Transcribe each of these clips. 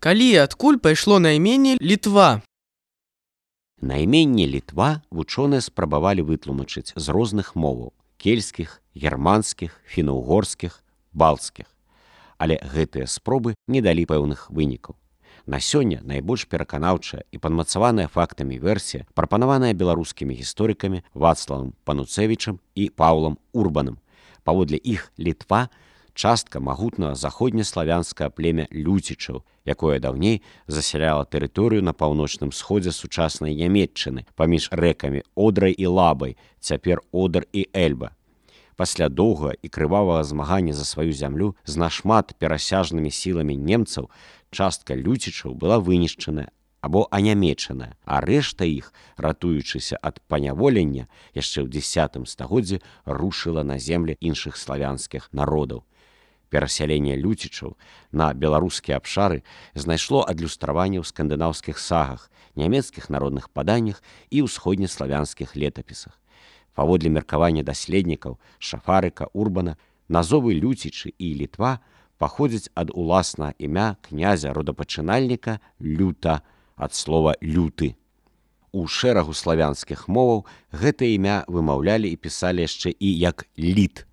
Калі і адкуль пайшло найменне Літва? Найменне Літва вучоныя спрабавалі вытлумачыць з розных моваў – кельцкіх, германскіх, фіна-угорскіх, балцкіх. Але гэтыя спробы не далі пэўных вынікаў. На сёння найбольш пераканаўчая і падмацаваная фактамі версія прапанаваная беларускімі гісторыкамі Вацлавам Пануцевічам і Паўлам Урбанам. Паводле іх Літва – частка магутнага заходнеславянскага племя люцічаў, якое даўней засяляла тэрыторыю на паўночным сходзе сучаснай Нямецчыны паміж рэкамі Одрай і Лабай, цяпер Одар і Эльба. Пасля доўгага і крывавага змагання за сваю зямлю з нашмат перасяжнымі сіламі немцаў частка люцічаў была вынішчаная або анямечаная, а рэшта іх, ратуючыся ад паняволення, яшчэ ў X стагоддзі рушыла на землі іншых славянскіх народаў. Перасяленне люцічаў на беларускія абшары знайшло адлюстраванне ў скандынаўскіх сагах, нямецкіх народных паданнях і ўсходнеславянскіх летапісах. Паводле меркавання даследнікаў Шафарыка, Урбана, назовы люцічы і Літва паходзяць ад уласнага імя князя-родапачынальніка Люта, ад слова люты. У шэрагу славянскіх моваў гэтае імя вымаўлялі і пісалі яшчэ і як літ.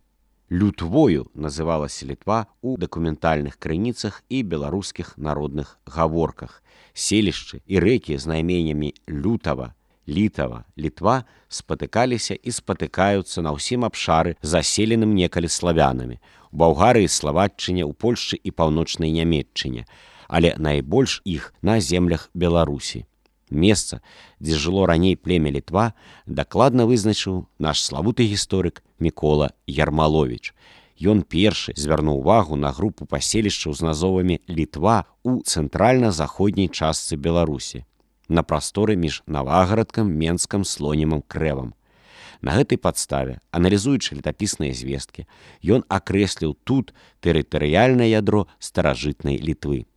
Лютвою называлася Літва ў дакументальных крыніцах і беларускіх народных гаворках. Селішчы і рэкі з найменнямі Лютава, Літава, Літва спатыкаліся і спатыкаюцца на ўсім абшары, заселеным некалі славянамі, у Балгарыі, Славаччыне, у Польшчы і паўночнай Нямецчыне, але найбольш іх на землях Беларусі. Месца, дзе жыло раней племя Літва, дакладна вызначыў наш славуты гісторык Мікола Ярмаловіч. Ён першы звярнуў увагу на групу паселішчаў з назовамі Літва ў цэнтральна-заходняй частцы Беларусі, на прасторы між Навагарадкам, Менскам, Слонімам, Крэвам. На гэтай падставе, аналізуючы летапісныя звесткі, ён акрэсліў тут тэрытарыяльнае ядро старажытнай Літвы.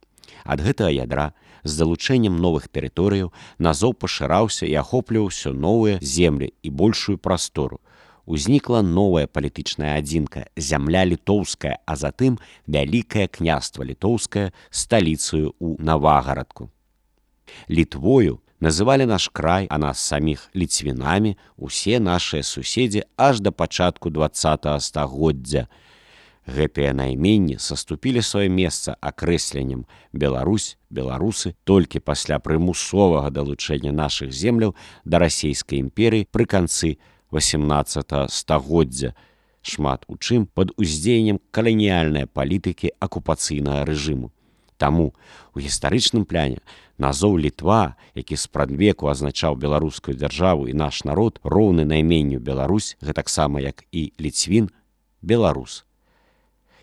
Ад гэтага ядра з залучэннем новых тэрыторыяў назоў пашыраўся і ахопліваў усё новыя землі і большую прастору. Узнікла новая палітычная адзінка – зямля літоўская, а затым вялікае княства літоўскае сталіцаю ў Навагарадку. Літвою называлі наш край, а нас саміх ліцвінамі, усе нашыя суседзі аж да пачатку 20 стагоддзя. Гэтыя найменні саступілі сваё месца акрэсленнем Беларусь, беларусы толькі пасля прымусовага далучэння нашых земляў да расійскай імперыі пры канцы 18 стагоддзя, шмат у чым пад уздзеяннем каланіяльнай палітыкі акупацыйнага рэжыму. Таму у гістарычным пляне назоў Літва, які спрадвеку азначаў беларускую дзяржаву і наш народ, роўны найменню Беларусь, гэтаксама як і Ліцвін, беларус.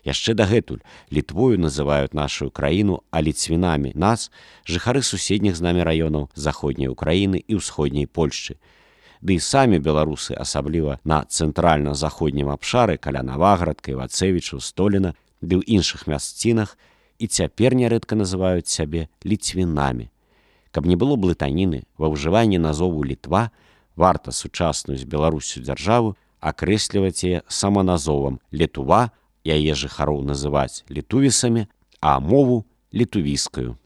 Яшчэ дагэтуль Літвою называюць нашу краіну, а ліцвінамі нас жыхары суседніх з намі раёнаў заходняй Украіны і ўсходняй Польшчы. Ды і самі беларусы, асабліва на цэнтральна-заходнім абшары каля Навагарадка, Івацэвічаў, Століна, ды ў іншых мясцінах і цяпер нярэдка называюць сябе ліцвінамі. Каб не было блытаніны, ва ўжыванні назову Літва варта сучасную з Беларусю дзяржаву акрэсліваць яе саманазовам Літува, яе жыхароў называць літувісамі, а мову літувіскаю.